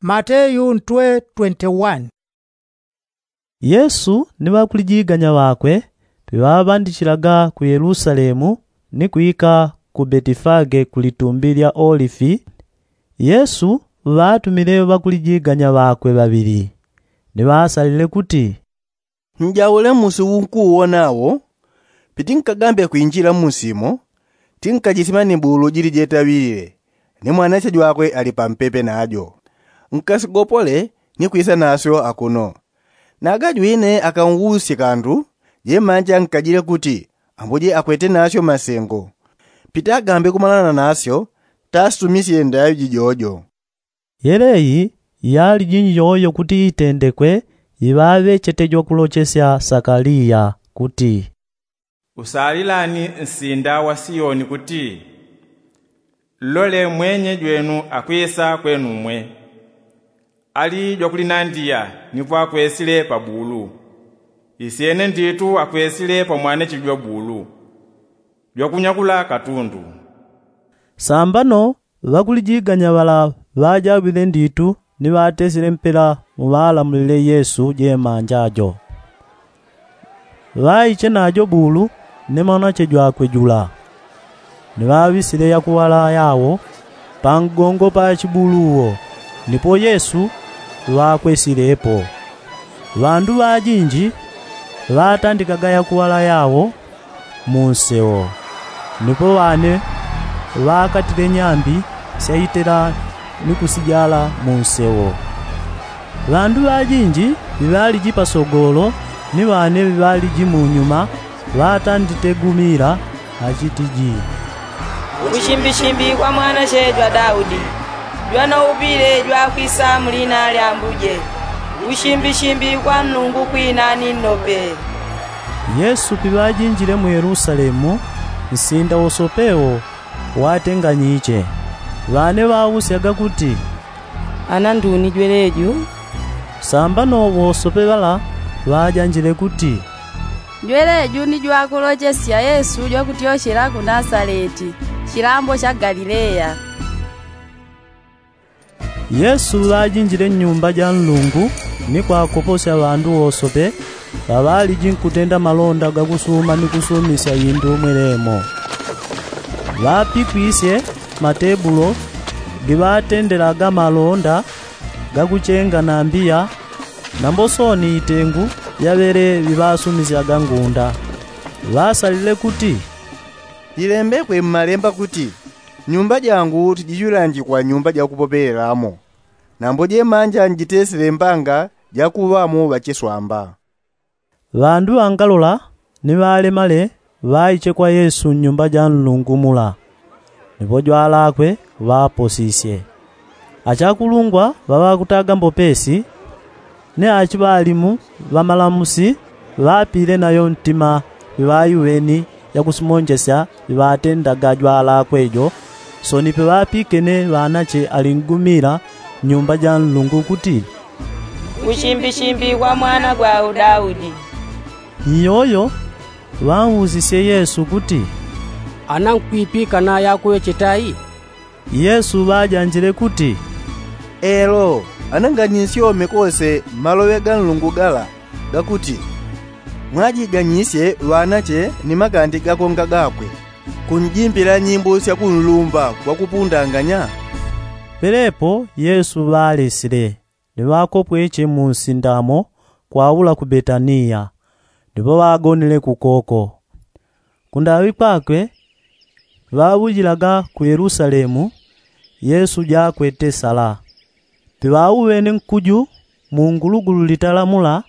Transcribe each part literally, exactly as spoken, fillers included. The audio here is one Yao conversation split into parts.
Mateyu ntwe twenty-one. Yesu ni ŵakulijiganya ŵakwe piŵaŵandichilaga ku yelusalemu ni kwika ku betifage ku litumbi lya olifi. Yesu ŵatumile ŵakulijiganya ŵakwe ŵaŵili, ni ŵaasalile kuti, njaule musi unkuuwona wo. Pitinkagambe kwinjila mmusimo, tinkajisima ni bulu jili jetaŵilile, ni mwanache jwakwe ali pampepe najo. Nkasigopole ni kwisa nasyo akuno. Naga jwine akanwusye kandu, jemanja nkajile kuti ambuje akwete nasyo masengo. Pitagambe kumalana nasyo, tasumisye ndaŵi jijojo. Yeleyi yali jinji yoyo kuti itendekwe iŵaŵe chete jwakulochesya sakaliya kuti, usalilani nsinda wa siyoni kuti, lole mwenye jwenu akwisa kwenumwe, ali jwakulinandiya nipo akwesile pa bulu. Isyene nditu akwesile pa mwanache jwa bulu jwakunyakula katundu. Sambano ŵakulijiganya ŵala ŵajaŵile nditu ni ŵatesile mpela muŵalamulile yesu jemanja jo. Ŵaiche najo bulu ni mwanache jwakwe jula, ni ŵaŵisile yakuŵala yawo pangongo pa chibulu wo, nipo yesu ŵakwesilepo. Ŵandu ŵajinji ŵatandikaga yakuŵala yawo munsewo, nipo ŵane ŵakatile nyambi syaitela ni kusijala munsewo. Ŵandu ŵajinji ŵiŵaliji pasogolo ni ŵane ŵiŵaliji munyuma ŵatanditegumila achitiji, ushimbishi mbi kwa mwanache jwa daudi, jwanoupile jwakwisa mulina lya ambuje. Ushimbishi mbi kwa nlungu kwina ni nnope. Yesu piŵajinjile mu yelusalemu, nsinda wosope wo watenganyiche. Ŵane ŵausyaga kuti, ana nduni jweleju? Sambano wosope ŵala ŵajanjile kuti, jweleju ni jwakulochesya yesu jwakutyochela ku nasaleti, chilambo cha galileya. Yesu ŵajinjile nnyumba ja nlungu ni kwakoposya ŵandu wosope ŵaŵaliji nkutenda malonda gakusuma ni kusumisya indu mwelemo. Ŵapikwisye matebulo giŵatendelaga malonda gakuchenga na mbiya, nambo sooni itengu yaŵele ŵiŵasumisyaga ngunda. Ŵasalile kuti, jilembekwe mmalemba kuti, nyumba jangu tijiŵilanjikwa nyumba jakupopelelamo, nambo jemanja njitesile mbanga jakuŵamo ŵachiswamba. Ŵandu ŵangalola ni ŵalemale ŵaiche kwa yesu nnyumba ja nlungu mula, nipo jwalakwe ŵaposisye. Achakulungwa ŵaŵakutaga mbopesi ni achiŵalimu ŵamalamusi ŵapile nayo ntima piŵaiweni yakusimonjesya piŵatendaga jwalakwe jo. Sooni piŵapikene ŵanache alingumila nnyumba ja nlungu kuti, ushimbishi mbi kwa mwana gwa daudi. Iyoyo ŵausisye yesu kuti, ana nkwipikana yakuŵe chetai? Yesu ŵajanjile kuti, elo, ana nganisyome kose maloŵe ga nlungu gala gakuti, mwajiganyisye ŵanache ni makandi gakonga gakwe, kunjimbila nyimbo syakunlumba kwakupundanganya. Pelepo yesu ŵalesile ni ŵakopweche munsindamo kwaula ku betaniya, nipo ŵagonile kukoko. Kundaŵi kwakwe ŵaŵujilaga ku yelusalemu, yesu jakwete sala. Piŵauŵene nkuju mungulugulu litala mula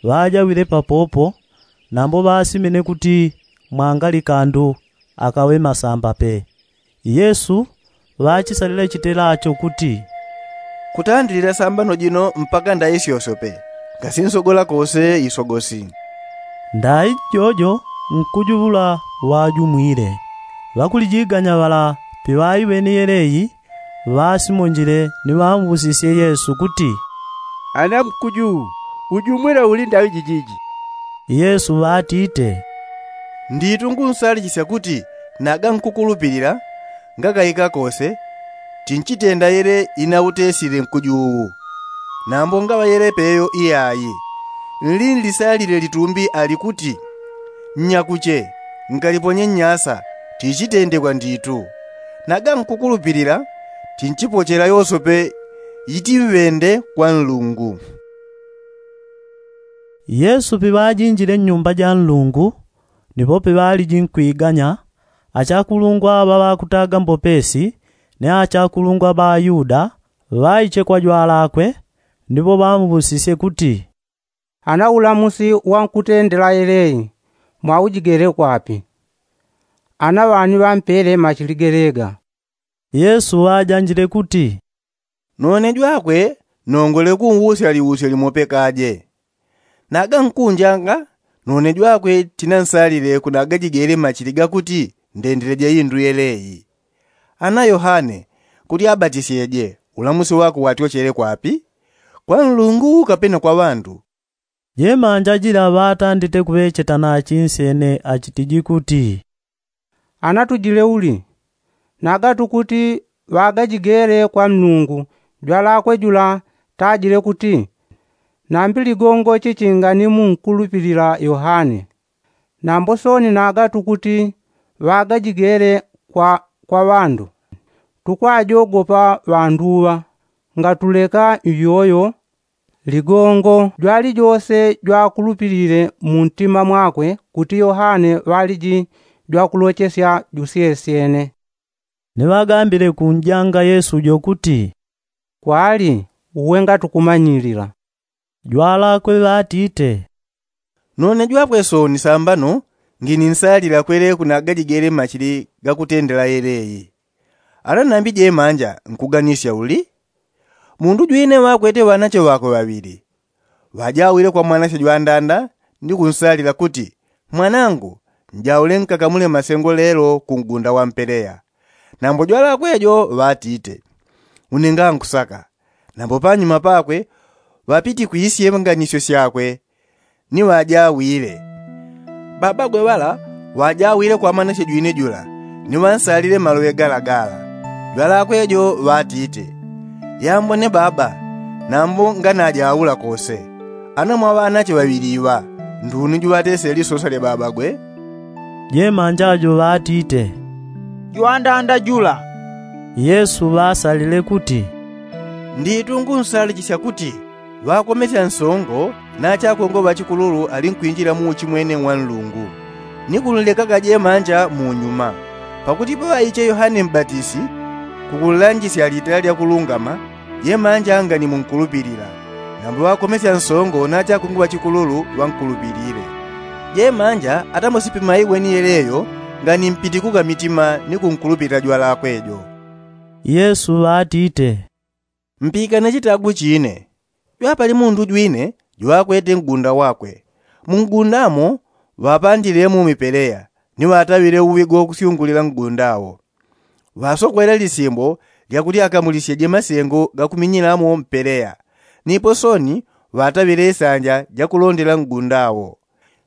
ŵajaŵile papopo, nambo ŵasimene kuti mwangali kandu akaŵe masamba pe. Yesu ŵachisalile chitelacho kuti, kutandilila sambano jino mpaka ndayi syosope ngasinsogola kose isogosi. Ndayi jojo nkuju ŵula ŵajumwile. Ŵakulijiganya ŵala piŵaiŵene yeleyi ŵasimonjile ni ŵausisye yesu kuti, ana nkuju ujumwile uli ndaŵi jijiji? Yesu ŵatite, nditu ngunsalichisya kuti naga nkukulupilila ngakaika kose, tinchitenda yele inautesile nkuju uwu. Nambo ngaŵa yele peyo iyayi, nlinlisalile litumbi ali kuti, nyakuche, nkaliponye nnyasa, tichitendekwa nditu. Naga nkukulupilila, tinchipochela yosope itiŵende kwa nlungu. Yesu piŵajinjile nnyumba ja nlungu, nipo piŵaliji nkwiganya, achakulungwa ŵa ŵakutaga mbopesi ni achakulungwa ŵa ayuda, ŵaiche kwa jwalakwe, nipo ŵamuŵusisye kuti, ana ulamusi wa nkutendela yeleyi mwaujigele kwapi? Ana ŵani ŵampele machili gelega? Yesu ŵajanjile kuti, none jwakwe nongole kunwusya liusyo limope kaje. Naga nkunjanga, none jwakwe tinansalile kunagajigele machili gakuti ndendileje indu yeleyi. Ana yohane, kuti abatisyeje, ulamusi wakwe watyochele kwapi? Kwa nlungu kapena kwa ŵandu? Jemanja jila ŵatandite kuŵecheta nachinsyene achitiji kuti, ana tujile uli? Naga tukuti ŵagajigele kwa nlungu, jwalakwe jula tajile kuti, nambi ligongo chichinga ni munkulupilila yohane. Nambo soni naga tukuti ŵagajigele kwa kwa ŵandu, tukwajogopa ŵandu ŵa. Ngatuleka iyoyo, ligongo jwalijose jwakulupilile muntima mwakwe kuti yohane ŵaliji jwakulochesya jusyesyene. Ni ŵagambile kunjanga yesu jo kuti, kwali uwe ngatukumanyilila. Jwalakwe ŵatite, none jwakwe soni sambano ngininsalila kwele kunagajigele machili gakutendela yeleyi. Ana nambi jemanja nkuganisya uli? Mundu jwine ŵakwete ŵanache ŵakwe ŵaŵili. Ŵajawile kwa mwanache jwandanda ni kunsalila kuti, mwanangu, njaule nkakamule masengo lelo ku ngunda wa mpeleya. Nambo jwalakwe jo ŵatite, une ngankusaka. Nambo panyuma pakwe ŵapitikwisye nganisyo syakwe ni ŵajawile. Babagwe ŵala ŵajawile kwa mwanache jwine jula ni ŵansalile maloŵe gala gala. Jwalakwe jo ŵatite, yambone baba, nambo nganajaula kose. Ana mwa ŵanache ŵaŵili iŵa, nduni juŵatesele lisosa lya babagwe? Jemanja jo ŵatite, jwandanda jula. Yesu ŵasalile kuti, nditu ngunsalichisya kuti ŵakomesya nsongo na achakongo ŵa chikululu ali nkwinjila mu uchimwene wa nlungu, ni kunlekaga jemanja mu nyuma. Pakuti paŵaiche yohane mbatisi kukunlanjisya litala lya kulungama, jemanja ngani munkulupilila. Nambo ŵakomesya nsongo na achakongo ŵa chikululu ŵankulupilile. Jemanja atamusipimaiwe ni yeleyo ngani mpitikuka mitima ni kunkulupilila jwalakwe jo. Yesu ŵatite, mpikane chitagu chine. Jwapali mundu jwine jwakwete ngunda wakwe. Mu ngunda mo ŵapandilemo mipeleya ni ŵataŵile uŵigo kusyungulila ngunda wo. Ŵasokwele lisimbo lyakuti akamulisyeje masengo gakuminyilamo mpeleya. Nipo soni ŵataŵile isanja jakulondela ngunda wo.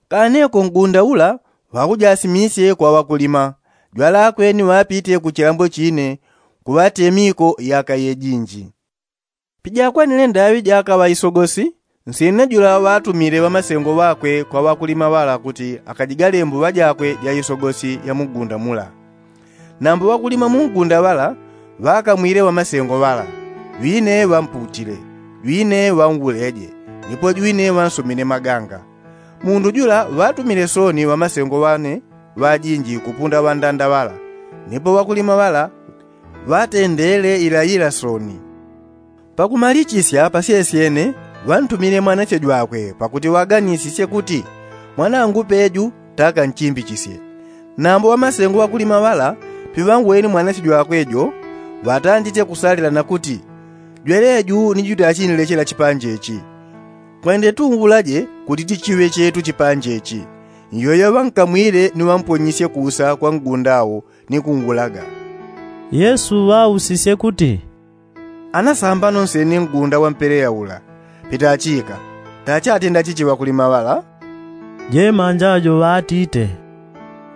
Kaneko ngunda ula ŵakujasimisye kwa ŵakulima. Jwalakwe ni ŵapite ku chilambo chine kuŵatemiko yaka yejinji. Pijakwanile ndaŵi jakaŵa isogosi, nsyene jula ŵatumile ŵamasengo ŵakwe kwa ŵakulima ŵala kuti akajigale mbuŵa jakwe ja isogosi ya mu ngunda mula. Nambo ŵakulima mu ngunda ŵala ŵakamwile ŵamasengo ŵala, jwine ŵamputile, jwine ŵanwuleje, nipo jwine ŵansomine maganga. Mundu jula ŵatumile soni ŵamasengo ŵane ŵajinji kupunda ŵandanda ŵala. Nipo ŵakulima ŵala ŵatendele ilayila soni. Pakumalichisya pasyesyene ŵantumile mwanache jwakwe pakuti ŵaganisisye kuti, mwanangu peju taka nchimbichisye. Nambo ŵamasengo ŵakulima ŵala piŵangweni mwanache jwakwe jo, ŵatandite kusalila na kuti, jweleju ni jutachinlechela chipanje chi. Kwende tunwulaje kuti tichiŵe chetu chipanje chi. Nyoyo ŵankamwile ni ŵamponyisye kusa kwa ngunda wo ni kunwulaga. Yesu ŵausisye kuti, ana sambano nsene ngunda wa mpeleya ula, pitachika tachatenda chichi ŵakulima ŵala? Jemanja jo ŵatite,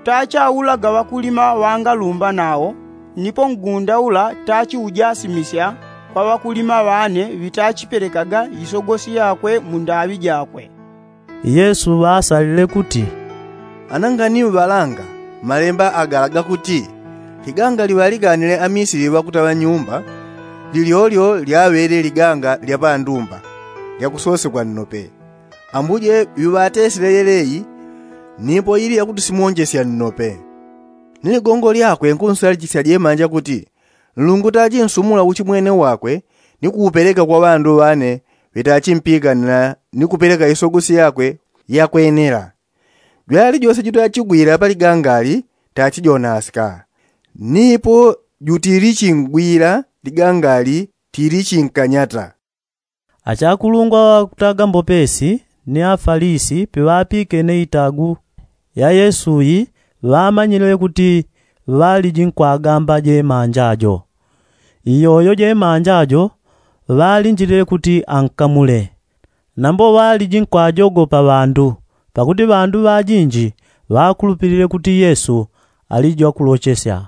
tachaulaga ŵakulima ŵangalumba nawo. Nipo ngunda ula tachiujasimisya kwa ŵakulima ŵane ŵitachipelekaga isogosi yakwe mu ndaŵi jakwe. Yesu ŵaasalile kuti, anangani ŵalanga malemba agala gakuti, liganga liŵaliganile amisili ŵakutaŵa nyumba, lilyolyo lyaŵele liganga lya pandumba lyakusosekwa nnope. Ambuje ŵiŵatesile yeleyi, nipo ili yakuti simonjesya nnope. Ni ligongo lyakwe nkunsalichisya jemanja kuti, nlungu tachinsumula uchimwene wakwe ni kuupeleka kwa ŵandu ŵane ŵetachimpikanila ni kupeleka isogosi yakwe yakwenela. Jwali jose jutachigwila pa ligangali tachijonaska, nipo jutilichingwila ligangali tilichinkanyata. Achakulungwa ŵakutaga mbopesi ni afalisi piŵapikene itagu ya yesu yi, ŵamanyile kuti ŵalijinkwagamba jemanja jo. Iyoyo jemanja jo ŵalinjilile kuti ankamule. Nambo ŵalijinkwajogopa ŵandu, pakuti ŵandu ŵajinji ŵakulupilile kuti yesu ali jwakulochesya.